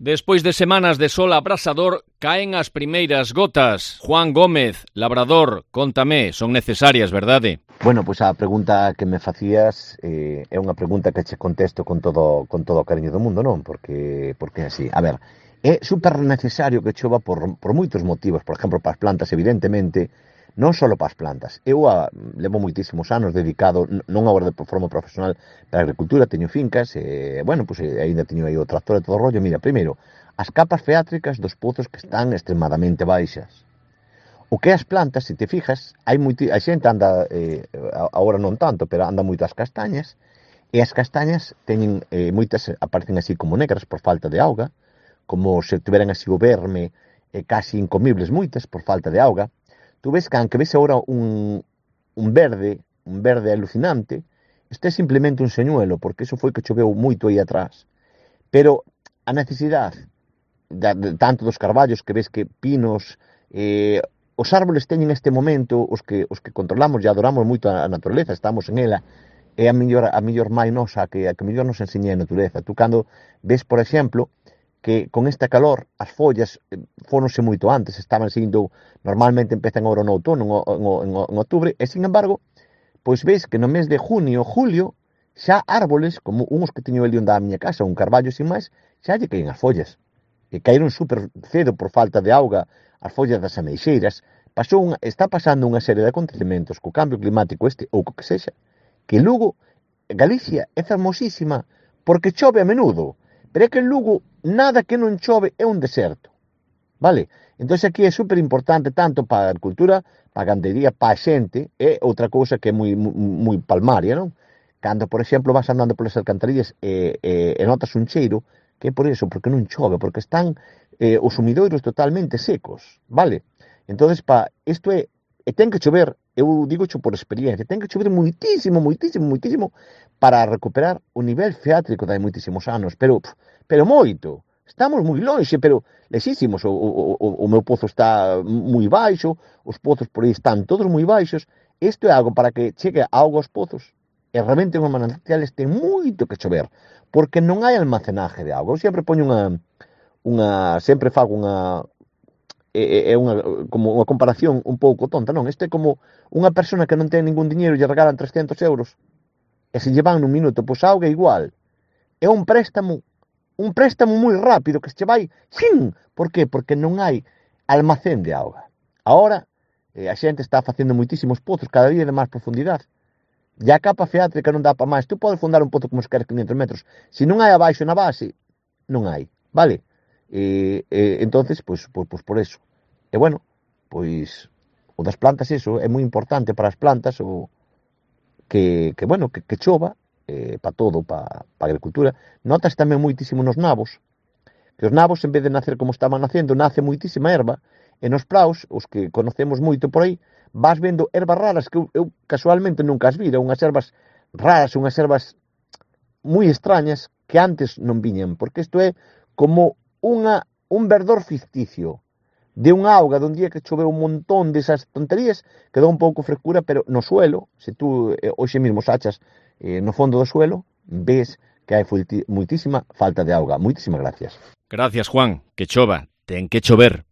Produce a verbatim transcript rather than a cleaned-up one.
Despois de semanas de sol abrasador, caen as primeiras gotas. Juan Gómez, labrador, contame, son necesarias, verdade? Bueno, pois a pregunta que me facías eh, é unha pregunta que che contesto con todo con todo o cariño do mundo, non? Porque porque así, a ver, é super necesario que chova por, por moitos motivos, por exemplo, para as plantas, evidentemente, non só para as plantas. Eu a, levo moitísimos anos dedicado, non agora de forma profesional, para a agricultura, teño fincas, e, bueno, pois ainda teño aí o tractor e todo o rollo. Mira, primeiro, as capas freátricas dos pozos que están extremadamente baixas. O que as plantas, se te fijas, hai moiti, a xente anda, eh, agora non tanto, pero anda moito as castañas, e as castañas teñen, eh, moitas aparecen así como negras por falta de auga, como se tiveran así o verme, eh, casi incomibles moitas por falta de auga. Tú ves que, aunque ves agora un, un verde, un verde alucinante, isto é simplemente un señuelo, porque iso foi que choveu moito aí atrás. Pero a necesidade, de, de, tanto dos carballos que ves que pinos, eh, os árboles teñen este momento, os que, os que controlamos e adoramos moito a natureza, estamos en ela, é a mellor, a mellor mai nosa, que a que mellor nos enseña a natureza. Tú cando ves, por exemplo, que con esta calor as follas fóronse moito antes, estaban sendo, normalmente empezan agora no outono, en, en, en outubro, e sin embargo, pois ves que no mes de junio, julio, xa árboles, como uns que teño ali onde a miña casa, un carballo sin máis, xa lle caen as follas. E caíron super cedo por falta de auga, as follas das ameixeiras. Pasou unha, está pasando unha serie de acontecementos co cambio climático este, ou co que sexa, que Lugo, Galicia, é fermosísima, porque chove a menudo. Pero é que en Lugo, nada que non chove é un deserto, vale? Entón aquí é super importante tanto para a agricultura, para a gandería, para a xente, é outra cousa que é moi, moi palmaria, non? Cando, por exemplo, vas andando polas alcantarillas e, e, e notas un cheiro, que é por iso, porque non chove, porque están eh, os sumidoiros totalmente secos, vale? Entón, pa, isto é, e ten que chover, eu digo xo por experiencia, ten que chover moitísimo, moitísimo, moitísimo, para recuperar o nivel freátrico de hai moitísimos anos, pero, pero moito. Estamos moi lonxe, pero lexísimos. O, o, o, o meu pozo está moi baixo, os pozos por aí están todos moi baixos. Isto é algo para que chegue a auga aos pozos. E realmente unha manantiales ten moito que chover, porque non hai almacenaje de auga. Eu sempre poño unha, unha sempre fago unha, é, é unha, como unha comparación un pouco tonta, non? Isto é como unha persona que non ten ningún diñeiro e lle regalan trescentos euros. E se lle van nun minuto, pois a auga é igual. É un préstamo, un préstamo moi rápido que se vai, xin, por qué? Porque non hai almacén de auga. Ahora, eh, a xente está facendo moitísimos pozos, cada día de máis profundidade. E a capa freátrica non dá para máis. Tú podes fundar un pozo como se queres quinhentos metros. Se non hai abaixo na base, non hai, vale? E, e entonces, pois, pois, pois por eso. E bueno, pois, o das plantas, eso, é moi importante para as plantas, o que, que bueno, que, que chova, eh, para todo, para pa a agricultura. Notas tamén moitísimo nos nabos, que os nabos, en vez de nacer como estaban nacendo, nace moitísima erva, e nos praus, os que conocemos moito por aí, vas vendo ervas raras que eu, eu casualmente nunca as vira, unhas ervas raras, unhas ervas moi extrañas que antes non viñan, porque isto é como unha, un verdor ficticio de unha auga dun día que choveu un montón desas tonterías, quedou un pouco frescura, pero no suelo, se tú eh, hoxe mesmo sachas eh, no fondo do suelo, ves que hai moitísima falta de auga. Moitísimas gracias. Gracias, Juan. Que chova. Ten que chover.